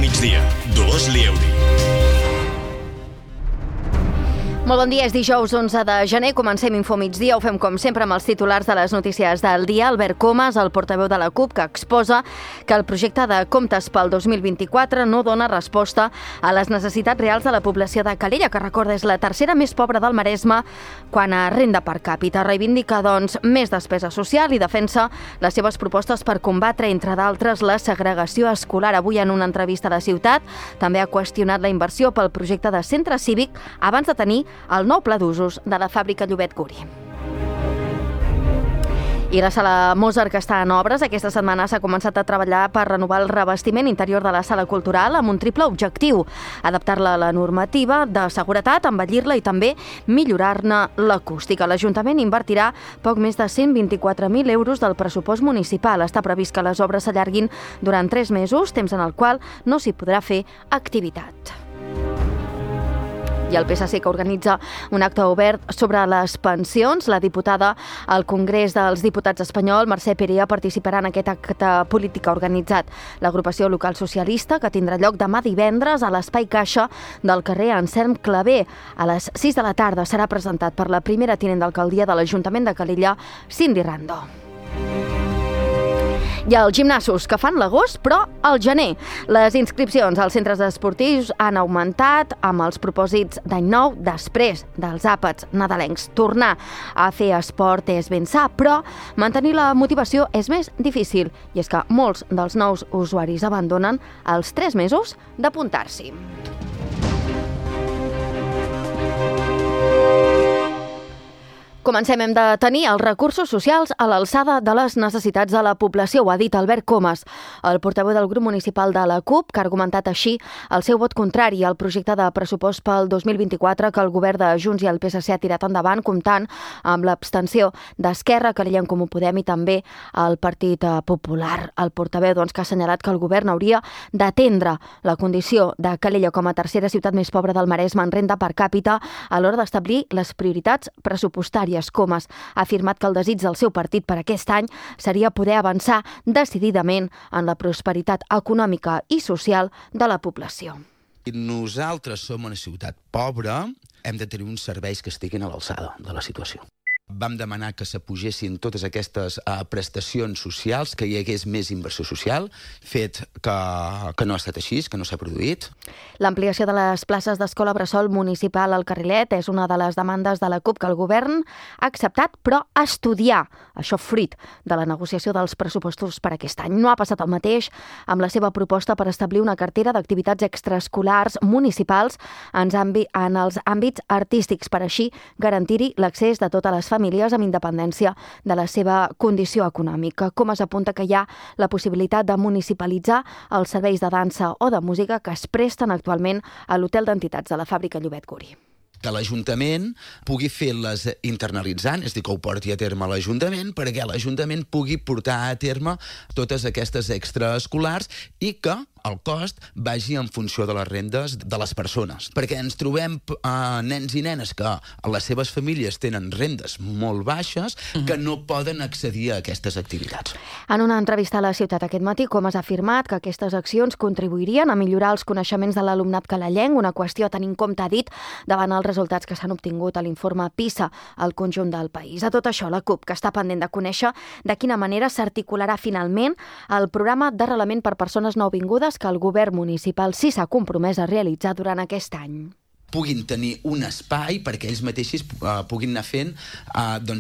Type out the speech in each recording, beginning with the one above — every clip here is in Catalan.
migdia. Dolors Lieuri. Molt bon dia, és dijous 11 de gener, comencem Info Migdia, ho fem com sempre amb els titulars de les notícies del dia. Albert Comas, el portaveu de la CUP, que exposa que el projecte de comptes pel 2024 no dona resposta a les necessitats reals de la població de Calella, que recorda és la tercera més pobra del Maresme quan a renda per càpita. Reivindica, doncs, més despesa social i defensa les seves propostes per combatre, entre d'altres, la segregació escolar. Avui, en una entrevista a La Ciutat, també ha qüestionat la inversió pel projecte de centre cívic abans de tenir el nou pla d'usos de la fàbrica Llobet Guri. I la sala Mozart, que està en obres, aquesta setmana s'ha començat a treballar per renovar el revestiment interior de la sala cultural amb un triple objectiu: adaptar-la a la normativa de seguretat, embellir-la i també millorar-ne l'acústica. L'Ajuntament invertirà poc més de 124.000 euros del pressupost municipal. Està previst que les obres s'allarguin durant 3 mesos, temps en el qual no s'hi podrà fer activitat. I el PSC, que organitza un acte obert sobre les pensions. La diputada al Congrés dels Diputats espanyol, Mercè Perea, participarà en aquest acte polític que ha organitzat l'agrupació local socialista, que tindrà lloc demà divendres a l'Espai Caixa del carrer Anselm Clavé. A les 6 de la tarda serà presentat per la primera tinent d'alcaldia de l'Ajuntament de Calella, Cindy Rando. I els gimnasos, que fan l'agost, però al gener. Les inscripcions als centres esportius han augmentat amb els propòsits d'any nou després dels àpats nadalencs. Tornar a fer esport és ben sa, però mantenir la motivació és més difícil. I és que molts dels nous usuaris abandonen els 3 mesos d'apuntar-s'hi. Comencem. Hem de tenir els recursos socials a l'alçada de les necessitats de la població, ho ha dit Albert Comas, el portaveu del grup municipal de la CUP, que ha argumentat així el seu vot contrari al projecte de pressupost pel 2024 que el govern de Junts i el PSC ha tirat endavant, comptant amb l'abstenció d'Esquerra, Calella en Comú Podem i també el Partit Popular. El portaveu, doncs, que ha assenyalat que el govern hauria d'atendre la condició de Calella com a tercera ciutat més pobra del Maresme en renda per càpita a l'hora d'establir les prioritats pressupostàries. Comas ha afirmat que el desig del seu partit per aquest any seria poder avançar decididament en la prosperitat econòmica i social de la població. Nosaltres som una ciutat pobra, hem de tenir uns serveis que estiguin a l'alçada de la situació. Vam demanar que s'apugessin totes aquestes prestacions socials, que hi hagués més inversió social, fet que no ha estat així, que no s'ha produït. L'ampliació de les places d'escola bressol municipal al Carrilet és una de les demandes de la CUP que el govern ha acceptat, però estudiar, això fruit de la negociació dels pressupostos per aquest any. No ha passat el mateix amb la seva proposta per establir una cartera d'activitats extraescolars municipals en els àmbits artístics, per així garantir-hi l'accés de totes les famílies amb independència de la seva condició econòmica. Com es apunta que hi ha la possibilitat de municipalitzar els serveis de dansa o de música que es presten actualment a l'hotel d'entitats de la fàbrica Llobet Guri. Que l'Ajuntament pugui fer-les internalitzant, és a dir, que ho porti a terme l'Ajuntament, perquè l'Ajuntament pugui portar a terme totes aquestes extraescolars i que el cost vagi en funció de les rendes de les persones. Perquè ens trobem nens i nenes que les seves famílies tenen rendes molt baixes que no poden accedir a aquestes activitats. En una entrevista a La Ciutat aquest matí, Comas ha afirmat que aquestes accions contribuirien a millorar els coneixements de l'alumnat calellenc, una qüestió a tenir en compte, ha dit, davant els resultats que s'han obtingut a l'informe PISA al conjunt del país. A tot això, la CUP, que està pendent de conèixer de quina manera s'articularà finalment el programa d'arrelament per persones nouvingudes que el govern municipal sí s'ha compromès a realitzar durant aquest any. Puguin tenir un espai perquè ells mateixos puguin anar fent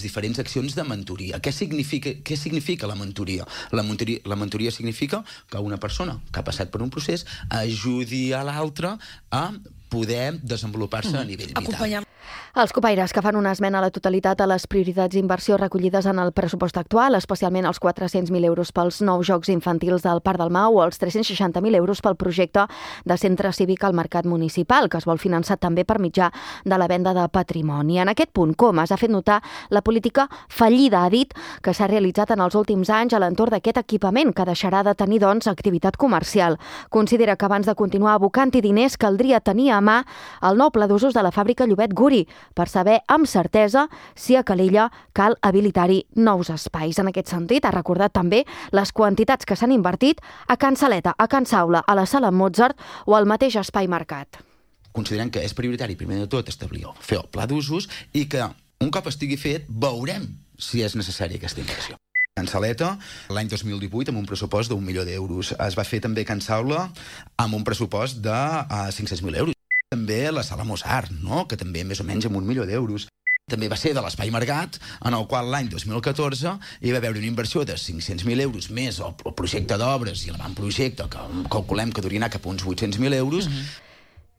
diferents accions de mentoria. Què significa la mentoria? La mentoria significa que una persona que ha passat per un procés ajudi a l'altra a poder desenvolupar-se a nivell vital. Els copaires, que fan una esmena a la totalitat a les prioritats d'inversió recollides en el pressupost actual, especialment els 400.000 euros pels nous jocs infantils del Parc del Mau o els 360.000 euros pel projecte de centre cívic al mercat municipal, que es vol finançar també per mitjà de la venda de patrimoni. En aquest punt, Comas ha fet notar la política fallida, ha dit, que s'ha realitzat en els últims anys a l'entorn d'aquest equipament, que deixarà de tenir, doncs, activitat comercial. Considera que abans de continuar abocant-hi diners caldria tenir a mà el nou pla d'usos de la fàbrica Llobet Guri, estudi per saber amb certesa si a Calella cal habilitar-hi nous espais. En aquest sentit, ha recordat també les quantitats que s'han invertit a Can Saleta, a Can Saula, a la Sala Mozart o al mateix Espai Mercat. Considerem que és prioritari, primer de tot, fer el pla d'usos i que un cop estigui fet veurem si és necessària aquesta inversió. Can Saleta, l'any 2018, amb un pressupost d'1 milió d'euros. Es va fer també Can Saula amb un pressupost de 500.000 euros. També la Sala Mozart, no? Que també més o menys amb 1 milió d'euros. També va ser de l'Espai Mercat, en el qual l'any 2014 hi va haver una inversió de 500.000 euros més el projecte d'obres i l'avantprojecte, que calculem que hauria anar cap a uns 800.000 euros.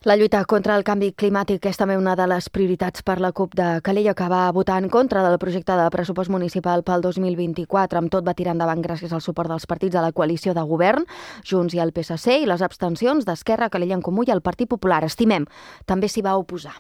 La lluita contra el canvi climàtic és també una de les prioritats per la CUP de Calella, que va votar en contra del projecte de pressupost municipal pel 2024. Amb tot va tirar endavant gràcies al suport dels partits de la coalició de govern, Junts i el PSC, i les abstencions d'Esquerra, Calella en Comú i el Partit Popular. Estimem també s'hi va oposar.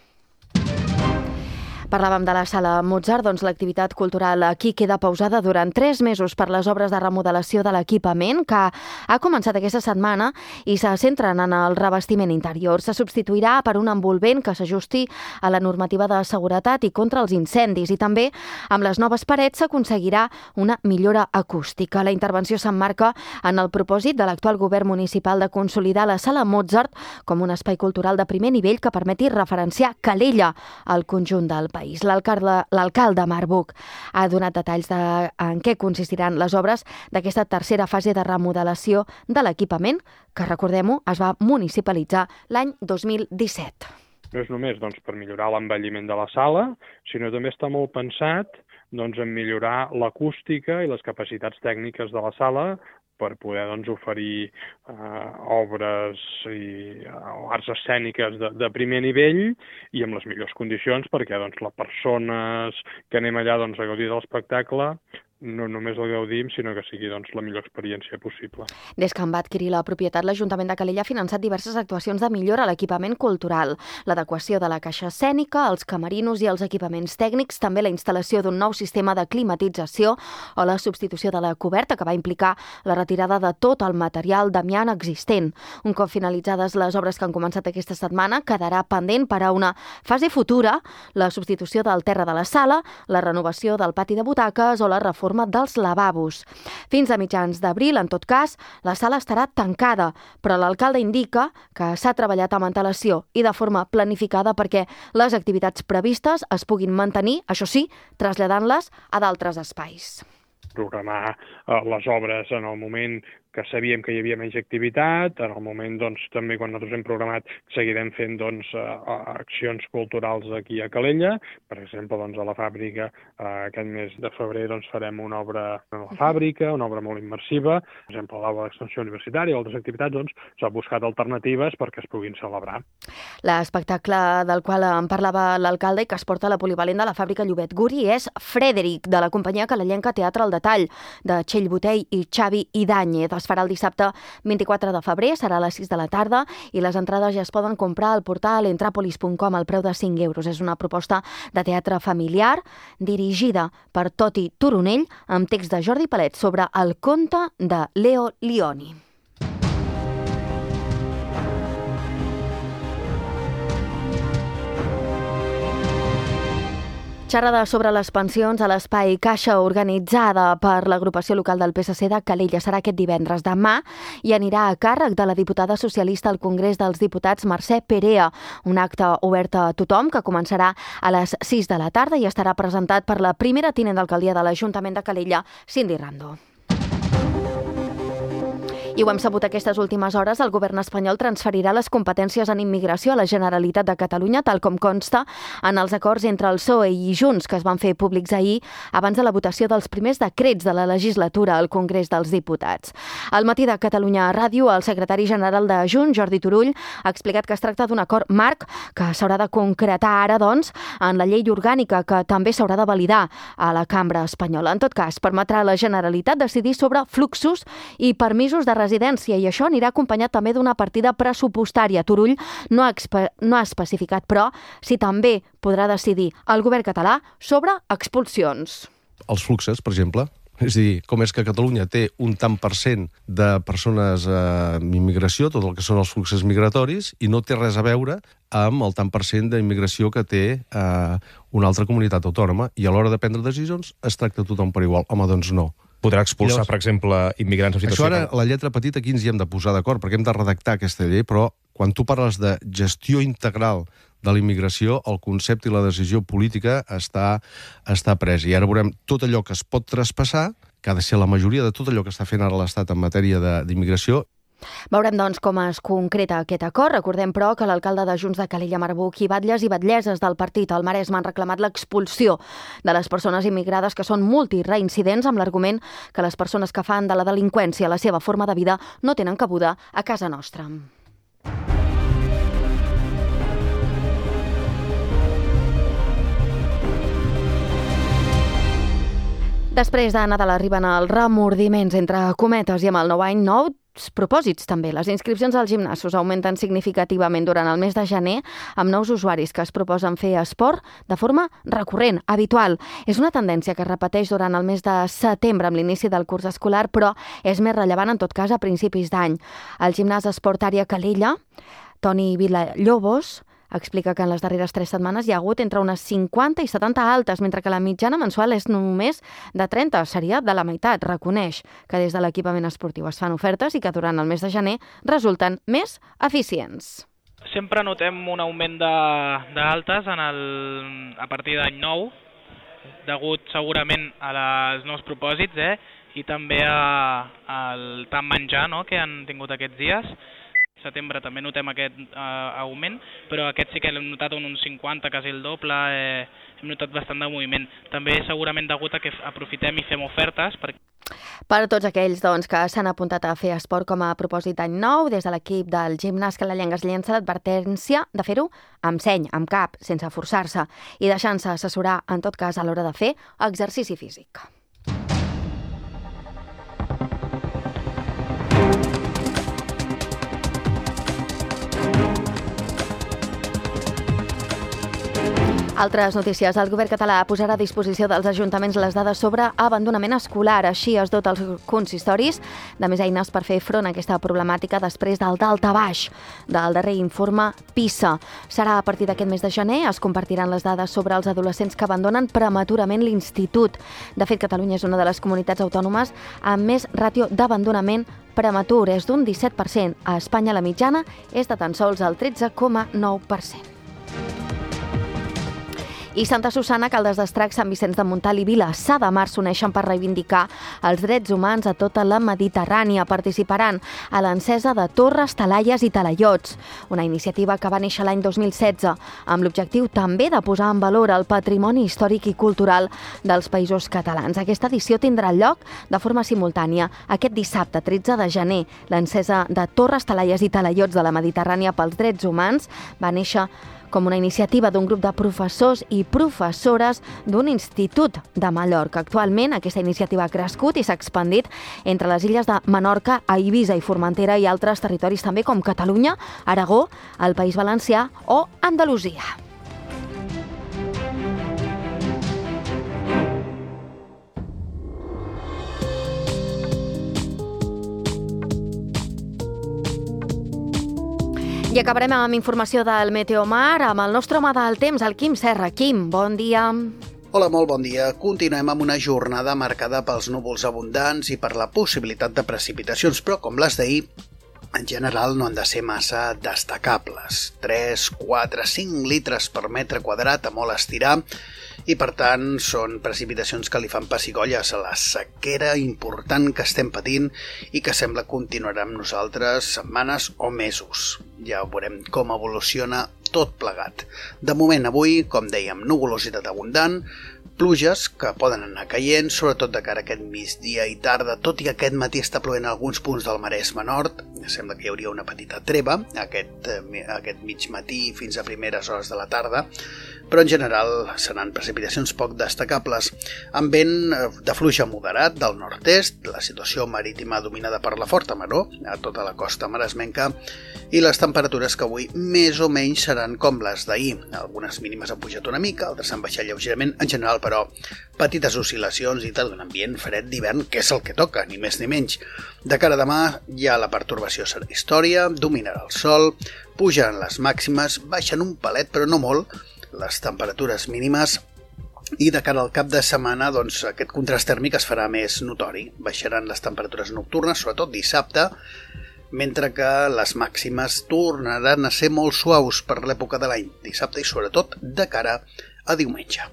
Parlàvem de la Sala Mozart, doncs l'activitat cultural aquí queda pausada durant 3 mesos per les obres de remodelació de l'equipament, que ha començat aquesta setmana i se centren en el revestiment interior. Se substituirà per un envolvent que s'ajusti a la normativa de seguretat i contra els incendis, i també amb les noves parets s'aconseguirà una millora acústica. La intervenció s'emmarca en el propòsit de l'actual govern municipal de consolidar la Sala Mozart com un espai cultural de primer nivell que permeti referenciar Calella al conjunt del país. L'alcalde Marc Buch ha donat detalls en què consistiran les obres d'aquesta tercera fase de remodelació de l'equipament, que, recordem-ho, es va municipalitzar l'any 2017. No és només per millorar l'envelliment de la sala, sinó també està molt pensat en millorar l'acústica i les capacitats tècniques de la sala per poder oferir obres i arts escèniques de primer nivell i amb les millors condicions perquè les persones que anem allà a gaudir de l'espectacle no només el gaudim, sinó que sigui la millor experiència possible. Des que en va adquirir la propietat, l'Ajuntament de Calella ha finançat diverses actuacions de millora a l'equipament cultural, l'adequació de la caixa escènica, els camerinos i els equipaments tècnics, també la instal·lació d'un nou sistema de climatització o la substitució de la coberta, que va implicar la retirada de tot el material d'amiant existent. Un cop finalitzades les obres que han començat aquesta setmana, quedarà pendent per a una fase futura la substitució del terra de la sala, la renovació del pati de butaques o la reforma dels lavabos. Fins a mitjans d'abril, en tot cas, la sala estarà tancada, però l'alcalde indica que s'ha treballat amb antelació i de forma planificada perquè les activitats previstes es puguin mantenir, això sí, traslladant-les a d'altres espais. Programar les obres en el moment que sabíem que hi havia menys activitat, en el moment també quan nosaltres hem programat seguirem fent accions culturals aquí a Calella, per exemple a la fàbrica aquest mes de febrer farem una obra a la fàbrica, una obra molt immersiva, per exemple a l'aula d'extensió universitària o altres activitats, s'ha buscat alternatives perquè es puguin celebrar. L'espectacle del qual en parlava l'alcalde i que es porta a la polivalent de la fàbrica Llobet Guri és Frederic, de la companyia calellenca Teatre al Detall, de Txell Botell i Xavi Idàñez. Es farà el dissabte 24 de febrer, serà a les 6 de la tarda i les entrades ja es poden comprar al portal entrapolis.com al preu de 5 euros. És una proposta de teatre familiar dirigida per Toti Turonell amb text de Jordi Palet sobre el conte de Leo Lioni. Xerrada sobre les pensions a l'Espai Caixa organitzada per l'agrupació local del PSC de Calella serà aquest divendres. Demà i anirà a càrrec de la diputada socialista al Congrés dels Diputats Mercè Perea, un acte obert a tothom que començarà a les 6 de la tarda i estarà presentat per la primera tinent d'alcaldia de l'Ajuntament de Calella, Cindy Rando. I ho hem sabut aquestes últimes hores, el govern espanyol transferirà les competències en immigració a la Generalitat de Catalunya, tal com consta en els acords entre el PSOE i Junts, que es van fer públics ahir abans de la votació dels primers decrets de la legislatura al Congrés dels Diputats. Al matí de Catalunya Ràdio, el secretari general de Junts, Jordi Turull, ha explicat que es tracta d'un acord marc que s'haurà de concretar ara, doncs, en la llei orgànica, que també s'haurà de validar a la cambra espanyola. En tot cas, permetrà a la Generalitat decidir sobre fluxos i permisos de residència, i això anirà acompanyat també d'una partida pressupostària. Turull no ha especificat, però, si també podrà decidir el govern català sobre expulsions. Els fluxes, per exemple, És a dir, com és que Catalunya té un tant per cent de persones amb immigració, tot el que són els fluxos migratoris, i no té res a veure amb el tant per cent d'immigració que té una altra comunitat autònoma, i a l'hora de prendre decisions es tracta tothom per igual. Home, doncs no. Podrà expulsar, per exemple, immigrants en situació... Això ara, la lletra petita, aquí ens hi hem de posar d'acord, perquè hem de redactar aquesta llei, però quan tu parles de gestió integral de la immigració, el concepte i la decisió política està pres. I ara veurem tot allò que es pot traspassar, que ha de ser la majoria de tot allò que està fent ara l'Estat en matèria d'immigració. Veurem, doncs, com es concreta aquest acord. Recordem, però, que l'alcalde de Junts de Calella, Marbuc, i batlles i batlleses del partit al Maresme han reclamat l'expulsió de les persones immigrades que són multireincidents, amb l'argument que les persones que fan de la delinqüència la seva forma de vida no tenen cabuda a casa nostra. Després de Nadal arriben els remordiments entre cometes i amb el nou any nous propòsits també. Les inscripcions als gimnasos augmenten significativament durant el mes de gener amb nous usuaris que es proposen fer esport de forma recurrent, habitual. És una tendència que es repeteix durant el mes de setembre amb l'inici del curs escolar, però és més rellevant en tot cas a principis d'any. El gimnàs Esport Àrea Calella, Toni Vilallobos, explica que en les darreres 3 setmanes hi ha hagut entre unes 50 i 70 altes, mentre que la mitjana mensual és només de 30, seria de la meitat. Reconeix que des de l'equipament esportiu es fan ofertes i que durant el mes de gener resulten més eficients. Sempre notem un augment d'altes a partir d'any nou, degut segurament als nous propòsits i també al tant menjar que han tingut aquests dies. Setembre també notem aquest augment, però aquest sí que l'hem notat un 50, quasi el doble, hem notat bastant de moviment. També segurament degut a que aprofitem i fem ofertes. Per a tots aquells que s'han apuntat a fer esport com a propòsit d'any nou, des de l'equip del gimnàs Calellenc es llença l'advertència de fer-ho amb seny, amb cap, sense forçar-se i deixant-se assessorar, en tot cas, a l'hora de fer exercici físic. Altres notícies. El govern català posarà a disposició dels ajuntaments les dades sobre abandonament escolar. Així es dota els consistoris de més eines per fer front a aquesta problemàtica després del daltabaix del darrer informe PISA. Serà a partir d'aquest mes de gener. Es compartiran les dades sobre els adolescents que abandonen prematurament l'institut. De fet, Catalunya és una de les comunitats autònomes amb més ràtio d'abandonament prematur. És d'un 17%. A Espanya la mitjana és de tan sols el 13,9%. I Santa Susana, Caldes d'Estrac, Sant Vicenç de Montalt i Vilassar de Mar s'uneixen per reivindicar els drets humans a tota la Mediterrània. Participaran a l'encesa de torres, talaies i talaiots, una iniciativa que va néixer l'any 2016, amb l'objectiu també de posar en valor el patrimoni històric i cultural dels països catalans. Aquesta edició tindrà lloc de forma simultània aquest dissabte, 13 de gener. L'encesa de torres, talaies i talaiots de la Mediterrània pels drets humans va néixer com una iniciativa d'un grup de professors i professores d'un institut de Mallorca. Actualment, aquesta iniciativa ha crescut i s'ha expandit entre les illes de Menorca, Eivissa i Formentera i altres territoris també com Catalunya, Aragó, el País Valencià o Andalusia. I acabarem amb informació del Meteomar, amb el nostre home del temps, el Quim Serra. Quim, bon dia. Hola, molt bon dia. Continuem amb una jornada marcada pels núvols abundants i per la possibilitat de precipitacions, però com les d'ahir, en general no han de ser massa destacables. 3, 4, 5 litres per metre quadrat a molt estirar, i per tant són precipitacions que li fan pessigolles a la sequera important que estem patint i que sembla continuarà amb nosaltres setmanes o mesos. Ja veurem com evoluciona tot plegat. De moment avui, com dèiem, nuvolositat abundant, pluges que poden anar caient, sobretot de cara a aquest migdia i tarda, tot i que aquest matí està plovent a alguns punts del Maresme Nord. Sembla que hi hauria una petita treva aquest mig matí fins a primeres hores de la tarda, però en general seran precipitacions poc destacables, amb vent de fluix a moderat del nord-est, la situació marítima dominada per la forta maror a tota la costa maresmenca i les temperatures que avui més o menys seran com les d'ahir. Algunes mínimes han pujat una mica, altres han baixat lleugerament, en general però petites oscil·lacions i d'un ambient fred d'hivern, que és el que toca, ni més ni menys. De cara a demà ja la pertorbació serà història, dominarà el sol, pugen les màximes, baixen un palet però no molt les temperatures mínimes i de cara al cap de setmana doncs, aquest contrast tèrmic es farà més notori. Baixaran les temperatures nocturnes, sobretot dissabte, mentre que les màximes tornaran a ser molt suaus per l'època de l'any, dissabte i sobretot de cara a diumenge.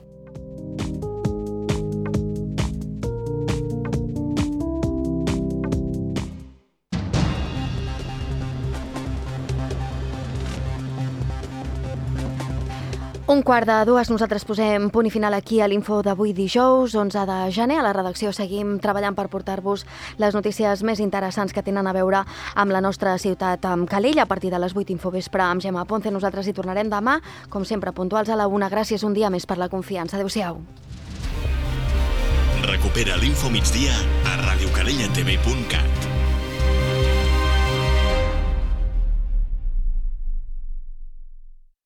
Un quart de dues, nosaltres posem punt i final aquí a l'info d'avui dijous, 11 de gener. A la redacció seguim treballant per portar-vos les notícies més interessants que tenen a veure amb la nostra ciutat, amb Calella, a partir de les 8 Infovespre amb Gemma Ponce. Nosaltres hi tornarem demà, com sempre, puntuals a la 1. Gràcies un dia més per la confiança. Adéu-siau. Recupera l'Info Migdia a radiocalellatv.cat.